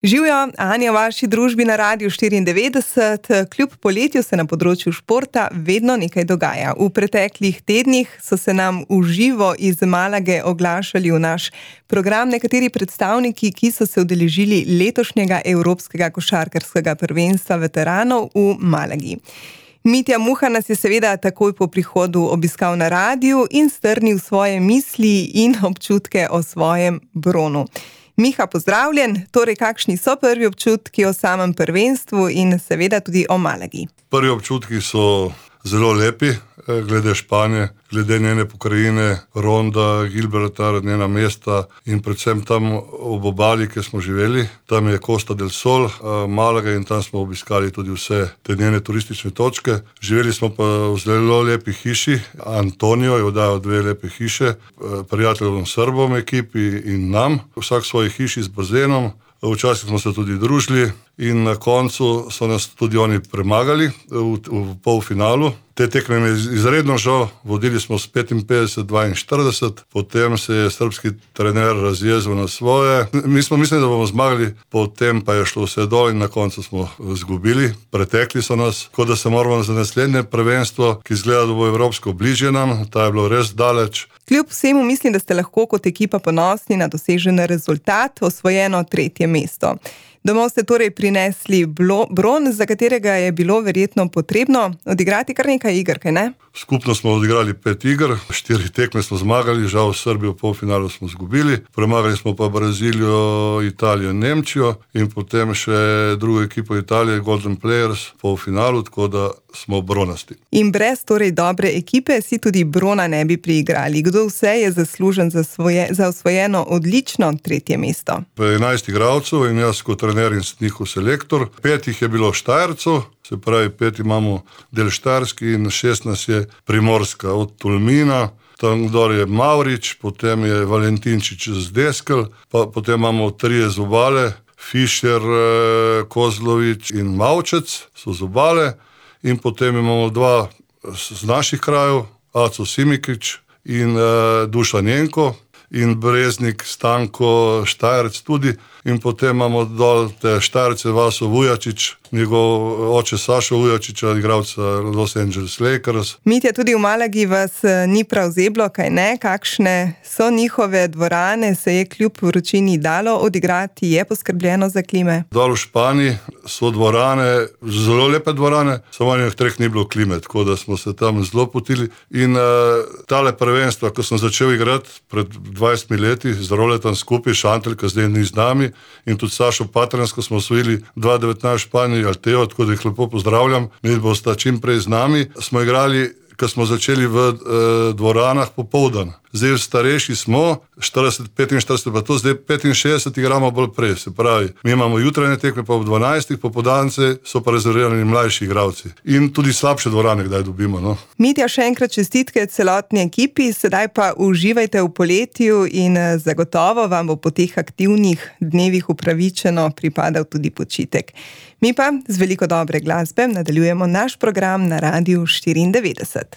Živijo, Anja v vaši družbi na Radiu 94. Kljub poletju se na področju športa vedno nekaj dogaja. V preteklih tednih so se nam v živo iz Malage oglašali v naš program nekateri predstavniki, ki so se udeležili letošnjega Evropskega košarkarskega prvenstva veteranov v Malagi. Mitja Muha nas je seveda takoj po prihodu obiskal na radiu in strnil svoje misli in občutke o svojem bronu. Miha, pozdravljen. Torej, kakšni so prvi občutki o samem prvenstvu in seveda tudi o Malagi? Prvi občutki so zelo lepi, glede Španije, glede njene pokrajine, Ronda, Gibraltar, njena mesta in predvsem tam ob obali, kjer smo živeli. Tam je Costa del Sol, Malaga, in tam smo obiskali tudi vse te njene turistične točke. Živeli smo pa v zelo lepi hiši. Antonio je oddajal 2 lepe hiše, prijateljem Srbom ekipi in nam, vsak svoji hiši z bazenom. Včasih smo se tudi družili in na koncu so nas tudi oni premagali v polfinalu. Te tekme mi je izredno žal, vodili smo s 55-42, potem se je srbski trener razjezil na svoje. Mi smo mislili, da bomo zmagali, potem pa je šlo vse dol in na koncu smo izgubili. Pretekli so nas, kot da se moramo za naslednje prvenstvo, ki izgleda, da bo evropsko bližje nam, ta je bilo res daleč. Kljub vsemu mislim, da ste lahko kot ekipa ponosni na dosežen rezultat, osvojeno 3. mesto. Domov ste torej prinesli bron, za katerega je bilo verjetno potrebno odigrati kar nekaj iger, kaj ne? Skupno smo odigrali 5 iger, 4 tekme smo zmagali, žal Srbijo v polfinalu smo izgubili, premagali smo pa Brazilijo, Italijo in Nemčijo in potem še drugo ekipo Italije, Golden Players, v polfinalu, tako da smo bronasti. In brez torej dobre ekipe si tudi brona ne bi priigrali. Kdo vse je zaslužen za osvojeno odlično 3. mesto? 11 igralcev in jaz kot trener in njihov selektor. 5 jih je bilo Štajercev, se pravi 5 imamo del Štajerski in 16 je Primorska, od Tolmina, tam dol je Mavrič, potem je Valentinčič z Deskel, pa potem imamo 3 z Obale, Fišer, Kozlovič in Mavčec so z Obale, in potem imamo 2 z naših krajev, Aco Simikič in Dušan Jenko, in Breznik, Stanko, Štajerec tudi, in potem imamo dol te Štajerce, Vaso Vujačič, njegov oče Sašo Vujačiča, igralca Los Angeles Lakers. Mitja, tudi v Malagi vas ni prav zeblo, kaj ne? Kakšne so njihove dvorane, se je kljub vročini dalo odigrati, je poskrbljeno za klime? Dol v Španiji so dvorane, zelo lepe dvorane, samo v 3 ni bilo klime, tako da smo se tam zelo potili. In tale prvenstva, ko sem začel igrati pred 20 leti, z Roletom skupaj, Šantel, ki zdaj ni z nami, in tudi Sašo Patransko smo osvojili 2019 v Španiji, Alteo, tako da jih lepo pozdravljam, mi bosta čim prej z nami. Smo igrali, ko smo začeli v dvoranah popoldan. Zdaj starejši smo, 40-45, pa to zdaj 65 igramo bolj prej. Se pravi, mi imamo jutranje tekme pa ob 12, popoldanske so pa rezervirani mlajši igralci. In tudi slabše dvorane kdaj dobimo, no. Mitja, še enkrat čestitke celotni ekipi, sedaj pa uživajte v poletju in zagotovo vam bo po teh aktivnih dnevih upravičeno pripadal tudi počitek. Mi pa z veliko dobre glasbe nadaljujemo naš program na Radiu 94.